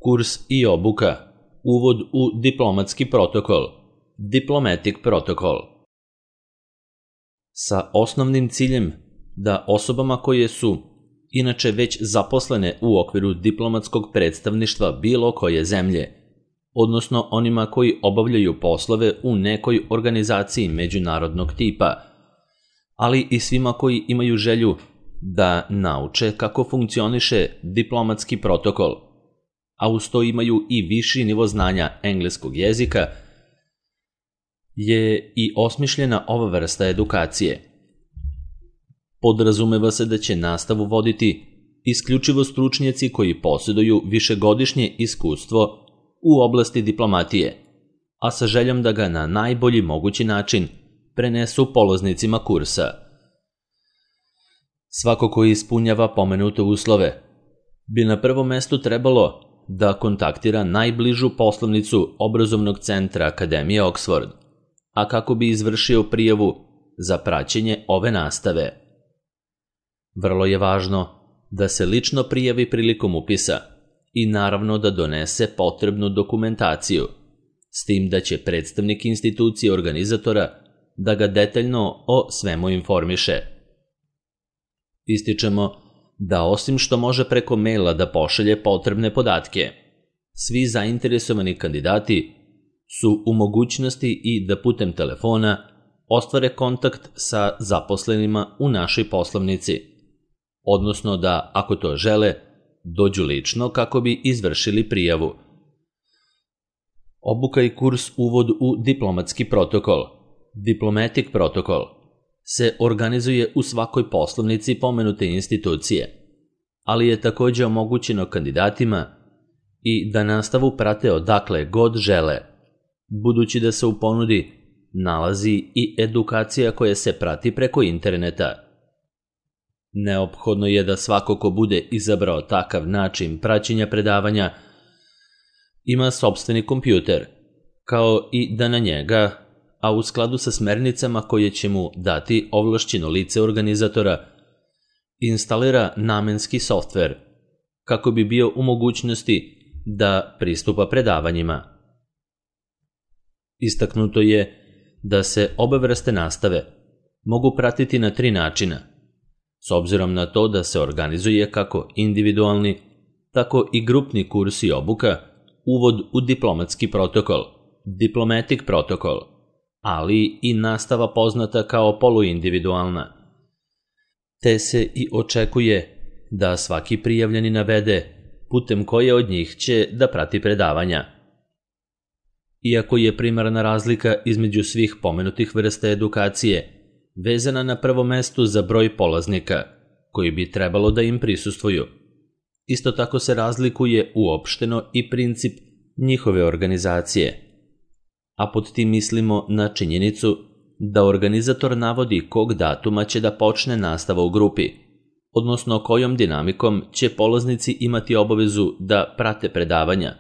Kurs i obuka. Uvod u diplomatski protokol. Diplomatic protocol. Sa osnovnim ciljem da osobama koje su inače već zaposlene u okviru diplomatskog predstavništva bilo koje zemlje, odnosno onima koji obavljaju poslove u nekoj organizaciji međunarodnog tipa, ali i svima koji imaju želju da nauče kako funkcioniše diplomatski protokol, a uz to imaju i viši nivo znanja engleskog jezika, je i osmišljena ova vrsta edukacije. Podrazumeva se da će nastavu voditi isključivo stručnjaci koji posjeduju višegodišnje iskustvo u oblasti diplomatije, a sa željom da ga na najbolji mogući način prenesu polaznicima kursa. Svako ko ispunjava pomenute uslove bi na prvom mestu trebalo da kontaktira najbližu poslovnicu obrazovnog centra Akademije Oxford, a kako bi izvršio prijavu za praćenje ove nastave. Vrlo je važno da se lično prijavi prilikom upisa i naravno da donese potrebnu dokumentaciju, s tim da će predstavnik institucije organizatora da ga detaljno o svemu informiše. Ističemo da osim što može preko maila da pošalje potrebne podatke, svi zainteresovani kandidati su u mogućnosti i da putem telefona ostvare kontakt sa zaposlenima u našoj poslovnici, odnosno da, ako to žele, dođu lično kako bi izvršili prijavu. Obuka i kurs Uvod u diplomatski protokol, Diplomatic protocol, se organizuje u svakoj poslovnici pomenute institucije, ali je također omogućeno kandidatima i da nastavu prate odakle god žele, budući da se u ponudi nalazi i edukacija koja se prati preko interneta. Neophodno je da svako ko bude izabrao takav način praćenja predavanja ima sopstveni kompjuter, kao i da na njega, a u skladu sa smernicama koje će mu dati ovlašćeno lice organizatora, instalira namenski softver, kako bi bio u mogućnosti da pristupa predavanjima. Istaknuto je da se obe vrste nastave mogu pratiti na 3 načina, s obzirom na to da se organizuje kako individualni, tako i grupni kurs i obuka, uvod u diplomatski protokol, Diplomatic protocol, ali i nastava poznata kao poluindividualna. Te se i očekuje da svaki prijavljeni navede putem koje od njih će da prati predavanja. Iako je primarna razlika između svih pomenutih vrsta edukacije vezana na prvom mestu za broj polaznika koji bi trebalo da im prisustvuju, isto tako se razlikuje uopšteno i princip njihove organizacije, a pod tim mislimo na činjenicu da organizator navodi kog datuma će da počne nastava u grupi, odnosno kojom dinamikom će polaznici imati obavezu da prate predavanja,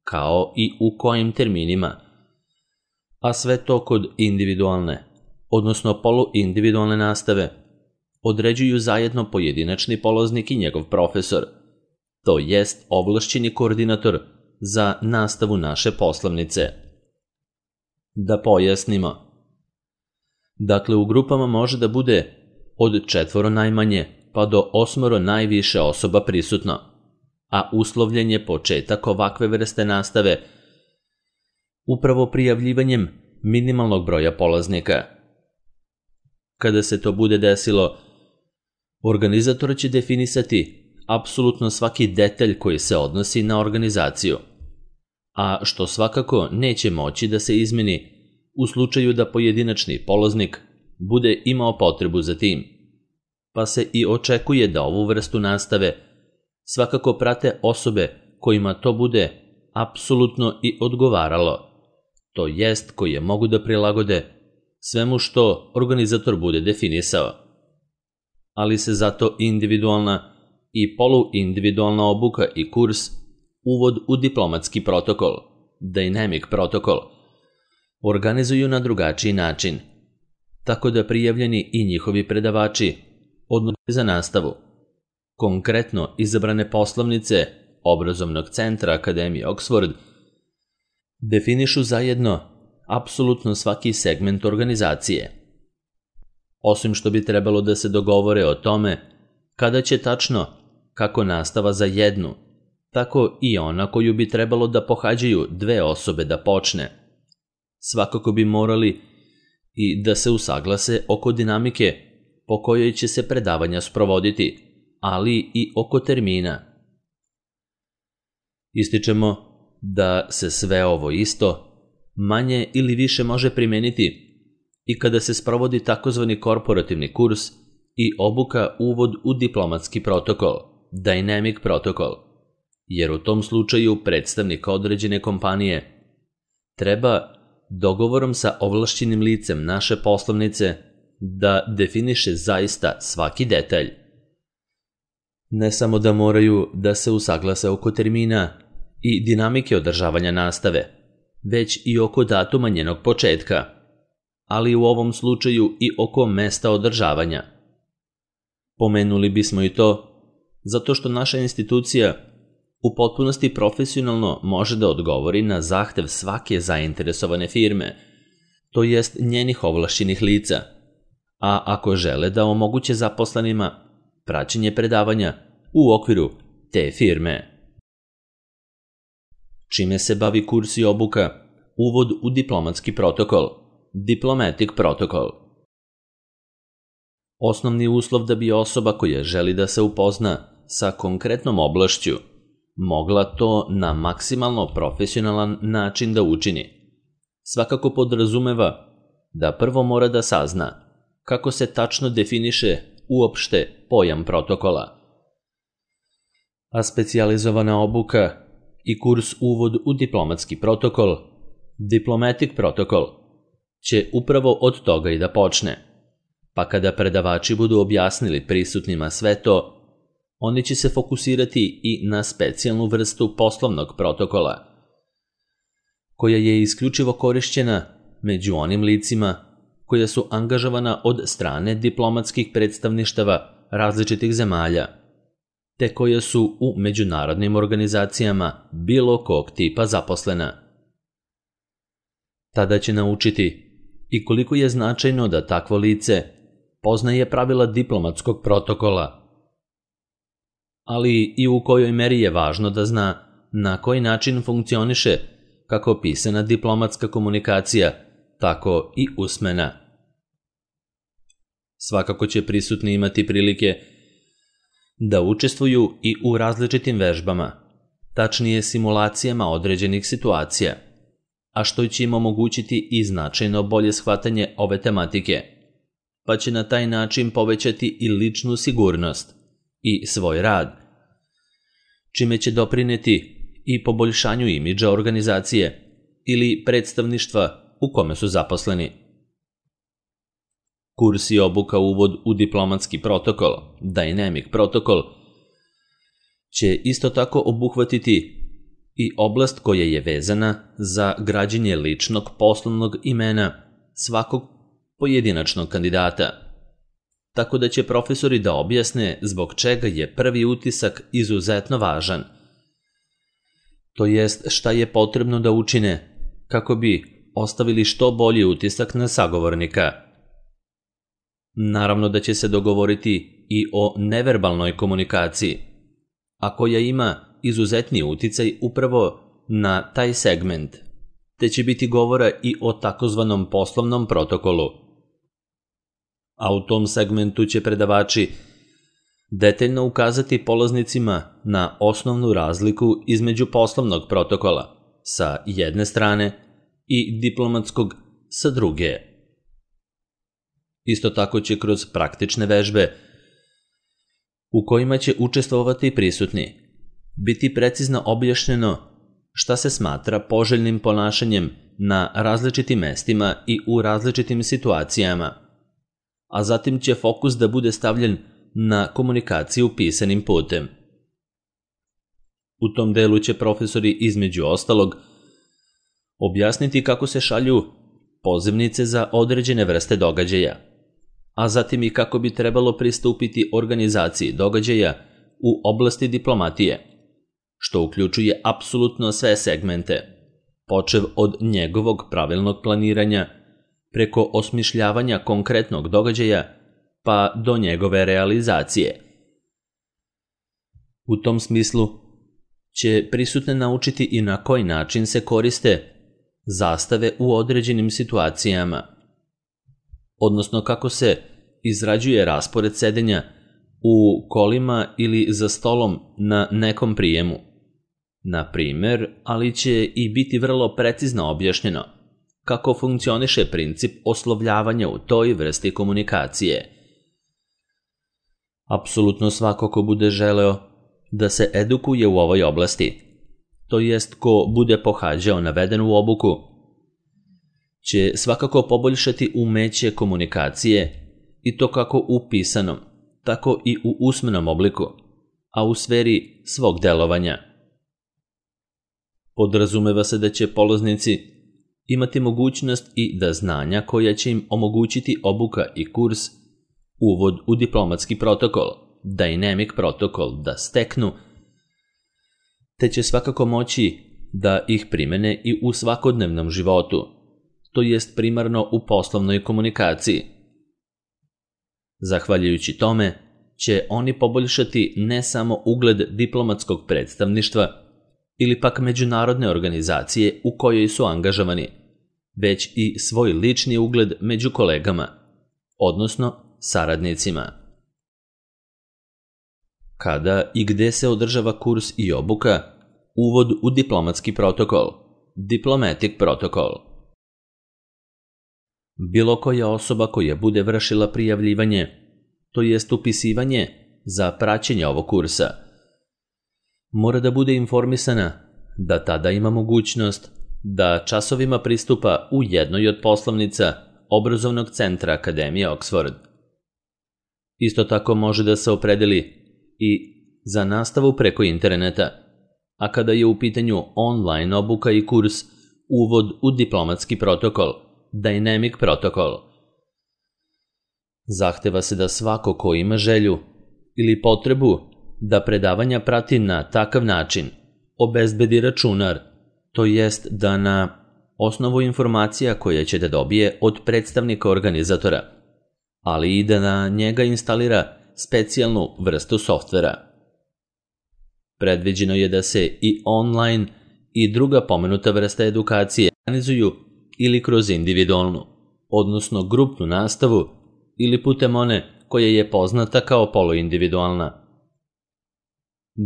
kao i u kojim terminima, a sve to kod individualne, odnosno poluindividualne nastave, određuju zajedno pojedinačni polaznik i njegov profesor, to jest ovlašćeni koordinator za nastavu naše poslovnice. Da pojasnimo. Dakle, u grupama može da bude od 4 najmanje pa do 8 najviše osoba prisutno, a uslovljen je početak ovakve vrste nastave upravo prijavljivanjem minimalnog broja polaznika. Kada se to bude desilo, organizator će definisati apsolutno svaki detalj koji se odnosi na organizaciju, a što svakako neće moći da se izmeni u slučaju da pojedinačni polaznik bude imao potrebu za tim, pa se i očekuje da ovu vrstu nastave svakako prate osobe kojima to bude apsolutno i odgovaralo, to jest koje mogu da prilagode svemu što organizator bude definisao. Ali se zato individualna i poluindividualna obuka i kurs Uvod u diplomatski protokol, Dynamic protokol, organizuju na drugačiji način, tako da prijavljeni i njihovi predavači odluče za nastavu. Konkretno izabrane poslovnice obrazovnog centra Akademije Oxford, definišu zajedno apsolutno svaki segment organizacije. Osim što bi trebalo da se dogovore o tome kada će tačno, kako nastava za jednu, tako i ona koju bi trebalo da pohađaju dve osobe da počne. Svakako bi morali i da se usaglase oko dinamike po kojoj će se predavanja sprovoditi, ali i oko termina. Ističemo da se sve ovo isto manje ili više može primeniti i kada se sprovodi takozvani korporativni kurs i obuka uvod u diplomatski protokol, dynamic protokol, jer u tom slučaju predstavnik određene kompanije treba dogovorom sa ovlašćenim licem naše poslovnice da definiše zaista svaki detalj. Ne samo da moraju da se usaglase oko termina i dinamike održavanja nastave, već i oko datuma njenog početka, ali u ovom slučaju i oko mesta održavanja. Pomenuli bismo i to zato što naša institucija u potpunosti profesionalno može da odgovori na zahtev svake zainteresovane firme, to jest njenih ovlašćenih lica, a ako žele da omoguće zaposlenima praćenje predavanja u okviru te firme. Čime se bavi kurs i obuka uvod u diplomatski protokol, diplomatic protocol. Osnovni uslov da bi osoba koja želi da se upozna sa konkretnom oblašću mogla to na maksimalno profesionalan način da učini. Svakako podrazumeva da prvo mora da sazna kako se tačno definiše uopšte pojam protokola. A specijalizovana obuka i kurs uvod u diplomatski protokol, diplomatic protokol, će upravo od toga i da počne. Pa kada predavači budu objasnili prisutnima sve to, oni će se fokusirati i na specijalnu vrstu poslovnog protokola, koja je isključivo korišćena među onim licima koja su angažovana od strane diplomatskih predstavništava različitih zemalja, te koja su u međunarodnim organizacijama bilo kog tipa zaposlena. Tada će naučiti i koliko je značajno da takvo lice poznaje pravila diplomatskog protokola, ali i u kojoj meri je važno da zna na koji način funkcioniše kako pisana diplomatska komunikacija, tako i usmena. Svakako će prisutni imati prilike da učestvuju i u različitim vežbama, tačnije simulacijama određenih situacija, a što će im omogućiti i značajno bolje shvatanje ove tematike, pa će na taj način povećati i ličnu sigurnost i svoj rad, čime će doprineti i poboljšanju imidža organizacije ili predstavništva u kome su zaposleni. Kurs i obuka uvod u diplomatski protokol, dynamic protokol, će isto tako obuhvatiti i oblast koja je vezana za građenje ličnog poslovnog imena svakog pojedinačnog kandidata, tako da će profesori da objasne zbog čega je prvi utisak izuzetno važan, to jest šta je potrebno da učine kako bi ostavili što bolji utisak na sagovornika. Naravno da će se dogovoriti i o neverbalnoj komunikaciji, a koja ima izuzetni uticaj upravo na taj segment, te će biti govora i o takozvanom poslovnom protokolu. A u tom segmentu će predavači detaljno ukazati polaznicima na osnovnu razliku između poslovnog protokola sa jedne strane i diplomatskog sa druge. Isto tako će kroz praktične vežbe u kojima će učestvovati prisutni biti precizno objašnjeno šta se smatra poželjnim ponašanjem na različitim mestima i u različitim situacijama, a zatim će fokus da bude stavljen na komunikaciju pisanim putem. U tom delu će profesori između ostalog objasniti kako se šalju pozivnice za određene vrste događaja, a zatim i kako bi trebalo pristupiti organizaciji događaja u oblasti diplomatije, što uključuje apsolutno sve segmente, počev od njegovog pravilnog planiranja, preko osmišljavanja konkretnog događaja, pa do njegove realizacije. U tom smislu će prisutne naučiti i na koji način se koriste zastave u određenim situacijama, odnosno kako se izrađuje raspored sedenja u kolima ili za stolom na nekom prijemu. Na primer, ali će i biti vrlo precizno objašnjeno kako funkcioniše princip oslovljavanja u toj vrsti komunikacije. Apsolutno svako ko bude želeo da se edukuje u ovoj oblasti, to jest ko bude pohađao navedenu obuku, će svakako poboljšati umeće komunikacije i to kako u pisanom, tako i u usmenom obliku, a u sferi svog delovanja. Podrazumeva se da će polaznici imati mogućnost i da znanja koja će im omogućiti obuka i kurs uvod u diplomatski protokol, dynamic protokol da steknu, te će svakako moći da ih primene i u svakodnevnom životu, to jest primarno u poslovnoj komunikaciji. Zahvaljujući tome će oni poboljšati ne samo ugled diplomatskog predstavništva ili pak međunarodne organizacije u kojoj su angažovani, već i svoj lični ugled među kolegama, odnosno saradnicima. Kada i gde se održava kurs i obuka, uvod u diplomatski protokol, diplomatic protokol. Bilo koja osoba koja bude vršila prijavljivanje, to jest upisivanje za praćenje ovog kursa, mora da bude informisana da tada ima mogućnost da časovima pristupa u jednoj od poslovnica obrazovnog centra Akademije Oxford. Isto tako može da se opredeli i za nastavu preko interneta, a kada je u pitanju online obuka i kurs uvod u diplomatski protokol, dynamic protokol. Zahteva se da svako ko ima želju ili potrebu da predavanja prati na takav način obezbedi računar, to jest da na osnovu informacija koje će da dobije od predstavnika organizatora, ali i da na njega instalira specijalnu vrstu softvera. Predviđeno je da se i online i druga pomenuta vrsta edukacije organizuju ili kroz individualnu, odnosno grupnu nastavu, ili putem one koja je poznata kao poluindividualna.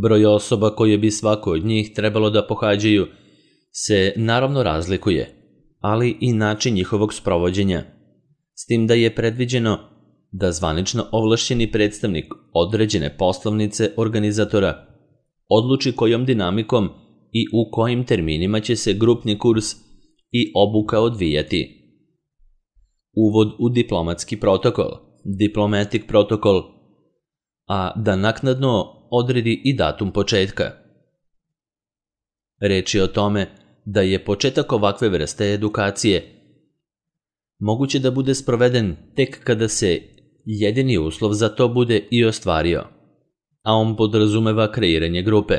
Broj osoba koje bi svako od njih trebalo da pohađaju se naravno razlikuje, ali i način njihovog sprovođenja, s tim da je predviđeno da zvanično ovlašćeni predstavnik određene poslovnice organizatora odluči kojom dinamikom i u kojim terminima će se grupni kurs i obuka odvijati. Uvod u diplomatski protokol, diplomatic protokol, a da naknadno odredi i datum početka. Reč je o tome da je početak ovakve vrste edukacije moguće da bude sproveden tek kada se jedini uslov za to bude i ostvario, a on podrazumeva kreiranje grupe.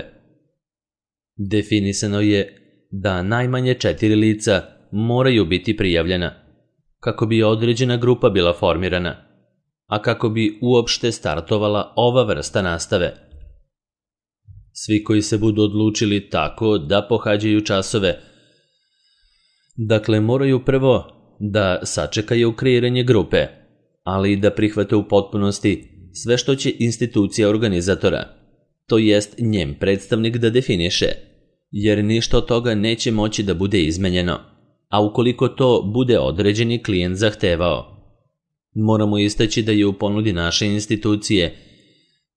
Definisano je da najmanje 4 lica moraju biti prijavljena, kako bi određena grupa bila formirana, a kako bi uopšte startovala ova vrsta nastave. Svi koji se budu odlučili tako da pohađaju časove, dakle moraju prvo da sačekaju kreiranje grupe, ali i da prihvate u potpunosti sve što će institucija organizatora, to jest njen predstavnik da definiše, jer ništa od toga neće moći da bude izmenjeno, a ukoliko to bude određeni klijent zahtevao. Moramo istaći da je u ponudi naše institucije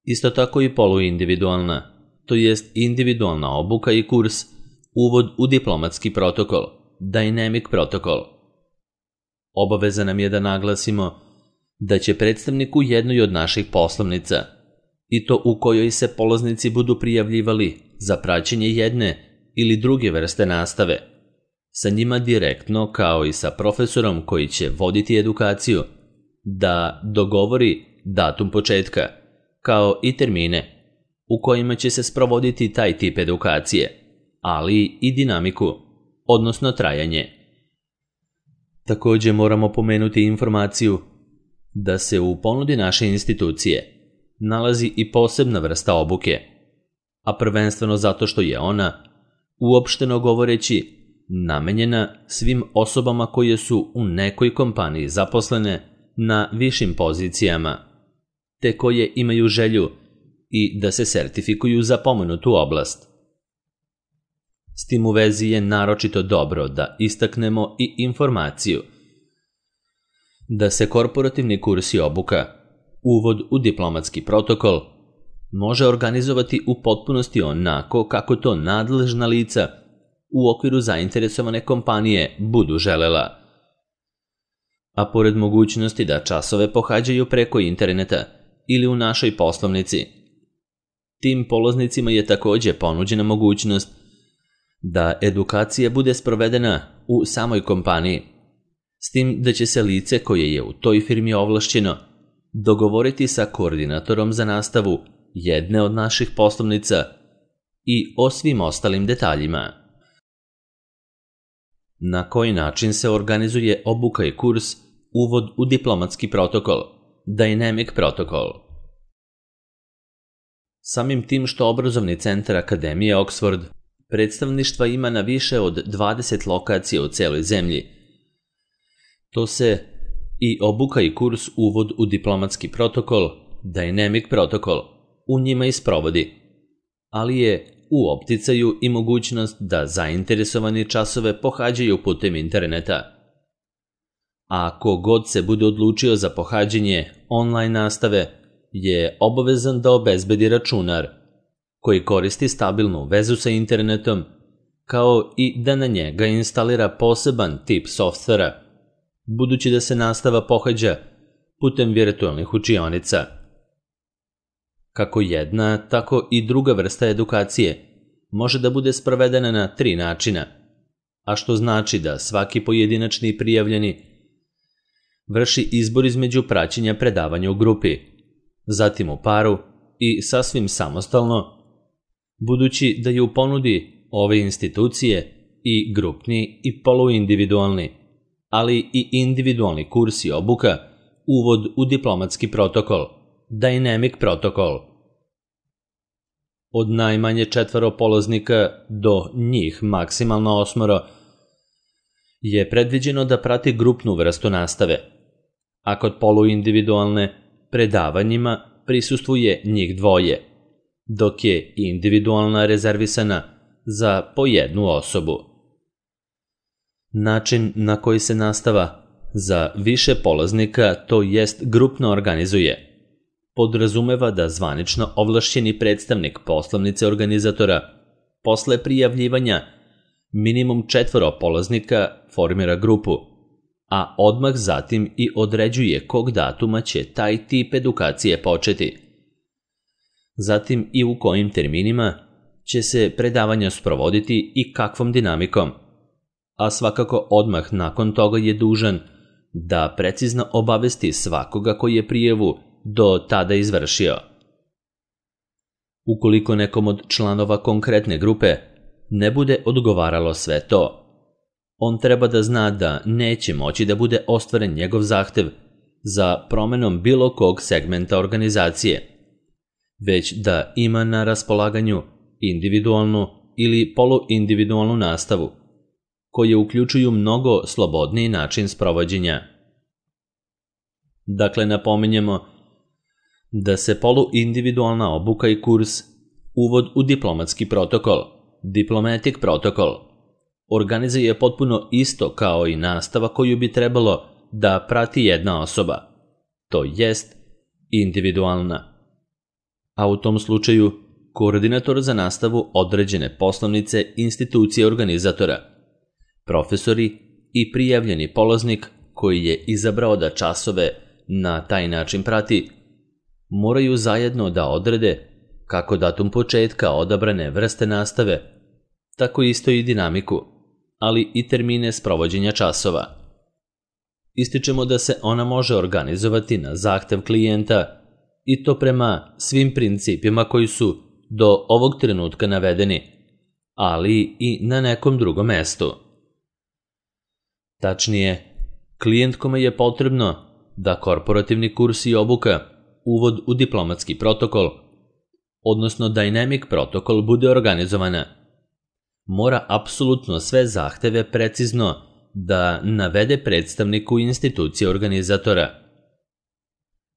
isto tako i poluindividualna, to jest individualna obuka i kurs uvod u diplomatski protokol, dynamic protokol. Obaveza nam je da naglasimo da će predstavnik u jednoj od naših poslovnica, i to u kojoj se polaznici budu prijavljivali za praćenje jedne ili druge vrste nastave, sa njima direktno kao i sa profesorom koji će voditi edukaciju, da dogovori datum početka, kao i termine, u kojima će se sprovoditi taj tip edukacije, ali i dinamiku, odnosno trajanje. Također moramo pomenuti informaciju da se u ponudi naše institucije nalazi i posebna vrsta obuke, a prvenstveno zato što je ona, uopšteno govoreći, namenjena svim osobama koje su u nekoj kompaniji zaposlene na višim pozicijama, te koje imaju želju i da se sertifikuju za pomenutu oblast. S tim u vezi je naročito dobro da istaknemo i informaciju da se korporativni kurs i obuka, uvod u diplomatski protokol, može organizovati u potpunosti onako kako to nadležna lica u okviru zainteresovane kompanije budu želela. A pored mogućnosti da časove pohađaju preko interneta ili u našoj poslovnici, tim polaznicima je također ponuđena mogućnost da edukacija bude sprovedena u samoj kompaniji, s tim da će se lice koje je u toj firmi ovlašćeno dogovoriti sa koordinatorom za nastavu jedne od naših poslovnica i o svim ostalim detaljima. Na koji način se organizuje obuka i kurs uvod u diplomatski protokol, Dynamic Protocol? Samim tim što obrazovni centar Akademije Oxford predstavništva ima na više od 20 lokacija u celoj zemlji, to se i obuka i kurs uvod u diplomatski protokol, Dynamic Protocol, u njima i sprovodi, ali je u opticaju i mogućnost da zainteresovani časove pohađaju putem interneta. A ko god se bude odlučio za pohađanje online nastave je obavezan da obezbedi računar koji koristi stabilnu vezu sa internetom, kao i da na njega instalira poseban tip softvera, budući da se nastava pohađa putem virtualnih učionica. Kako jedna, tako i druga vrsta edukacije može da bude sprovedena na 3 načina, a što znači da svaki pojedinačni prijavljeni vrši izbor između praćenja predavanja u grupi, zatim u paru i sasvim samostalno, budući da je u ponudi ove institucije i grupni i poluindividualni, ali i individualni kurs i obuka uvod u diplomatski protokol, Dynamic Protocol. Od najmanje 4 polaznika do njih maksimalno 8 je predviđeno da prati grupnu vrstu nastave, a kod poluindividualne predavanjima prisustvuje njih 2, dok je individualna rezervisana za po 1 osobu. Način na koji se nastava za više polaznika, to jest grupno organizuje, podrazumeva da zvanično ovlašćeni predstavnik poslovnice organizatora posle prijavljivanja minimum 4 polaznika formira grupu, a odmah zatim i određuje kog datuma će taj tip edukacije početi. Zatim i u kojim terminima će se predavanja sprovoditi i kakvom dinamikom, a svakako odmah nakon toga je dužan da precizno obavesti svakoga koji je prijavu do tada izvršio. Ukoliko nekom od članova konkretne grupe ne bude odgovaralo sve to, on treba da zna da neće moći da bude ostvaren njegov zahtev za promenom bilo kog segmenta organizacije, već da ima na raspolaganju individualnu ili poluindividualnu nastavu, koje uključuju mnogo slobodniji način sprovođenja. Dakle, napominjemo da se poluindividualna obuka i kurs uvod u diplomatski protokol, Diplomatic Protocol, organizuje potpuno isto kao i nastava koju bi trebalo da prati jedna osoba, to jest individualna. A u tom slučaju koordinator za nastavu određene poslovnice institucije organizatora, profesori i prijavljeni polaznik koji je izabrao da časove na taj način prati, moraju zajedno da odrede kako datum početka odabrane vrste nastave, tako isto i dinamiku, ali i termine sprovođenja časova. Ističemo da se ona može organizovati na zahtev klijenta i to prema svim principima koji su do ovog trenutka navedeni, ali i na nekom drugom mestu. Tačnije, klijent kome je potrebno da korporativni kurs i obuka, uvod u diplomatski protokol, odnosno Dynamic protokol, bude organizovana, mora apsolutno sve zahteve precizno da navede predstavniku institucije organizatora,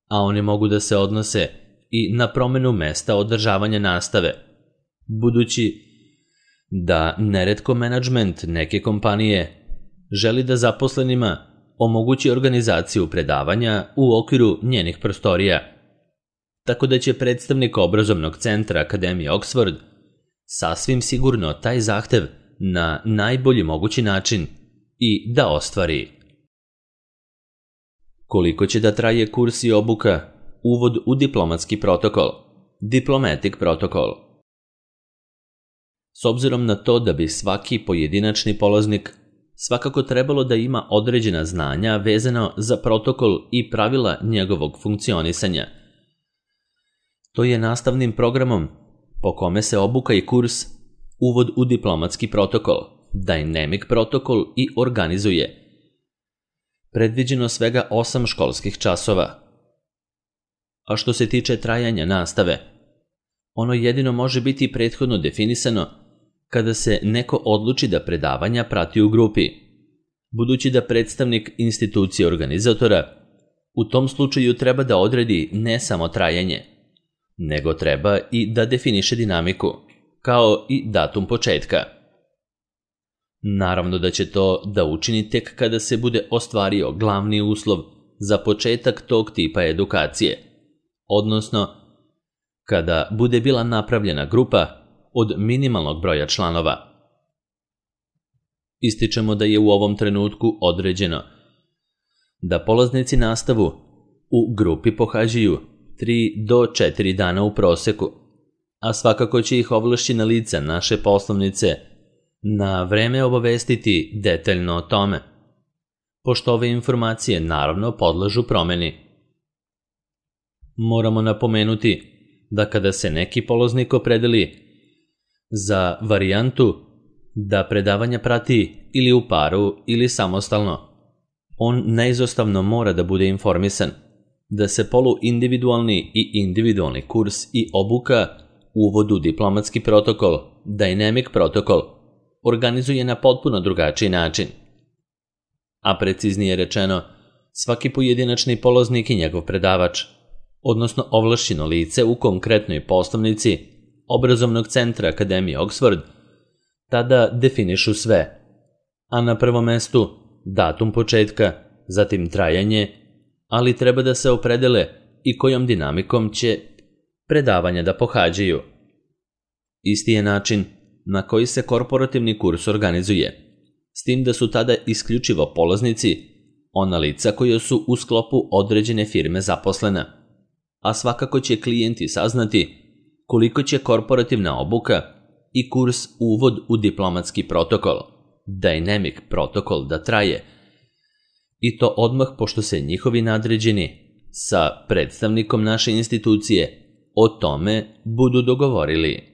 a oni mogu da se odnose i na promenu mesta održavanja nastave, budući da neretko menadžment neke kompanije želi da zaposlenima omogući organizaciju predavanja u okviru njenih prostorija, tako da će predstavnik obrazovnog centra Akademije Oxford sasvim sigurno taj zahtev na najbolji mogući način i da ostvari. Koliko će da traje kurs i obuka, uvod u diplomatski protokol, Diplomatic protokol? S obzirom na to da bi svaki pojedinačni polaznik svakako trebalo da ima određena znanja vezano za protokol i pravila njegovog funkcionisanja, to je nastavnim programom po kome se obuka i kurs, uvod u diplomatski protokol, Dynamic protokol, i organizuje. Predviđeno svega 8 školskih časova. A što se tiče trajanja nastave, ono jedino može biti prethodno definisano kada se neko odluči da predavanja prati u grupi, budući da predstavnik institucije organizatora u tom slučaju treba da odredi ne samo trajanje, nego treba i da definiše dinamiku, kao i datum početka. Naravno da će to da učini tek kada se bude ostvario glavni uslov za početak tog tipa edukacije, odnosno kada bude bila napravljena grupa od minimalnog broja članova. Ističemo da je u ovom trenutku određeno da polaznici nastavu u grupi pohađaju 3 do 4 dana u proseku, a svakako će ih ovlašćena lica naše poslovnice na vreme obavestiti detaljno o tome, pošto ove informacije naravno podležu promeni. Moramo napomenuti da kada se neki polaznik opredeli za varijantu da predavanja prati ili u paru ili samostalno, on neizostavno mora da bude informisan da se poluindividualni i individualni kurs i obuka, uvod u diplomatski protokol, Dynamic protokol, organizuje na potpuno drugačiji način. A preciznije rečeno, svaki pojedinačni polaznik i njegov predavač, odnosno ovlašćeno lice u konkretnoj poslovnici obrazovnog centra Akademije Oxford, tada definišu sve, a na prvom mestu datum početka, zatim trajanje, ali treba da se opredele i kojom dinamikom će predavanja da pohađaju. Isti je način na koji se korporativni kurs organizuje, s tim da su tada isključivo polaznici ona lica koja su u sklopu određene firme zaposlena, a svakako će klijenti saznati koliko će korporativna obuka i kurs uvod u diplomatski protokol, Dynamic protokol, da traje, i to odmah pošto se njihovi nadređeni sa predstavnikom naše institucije o tome budu dogovorili.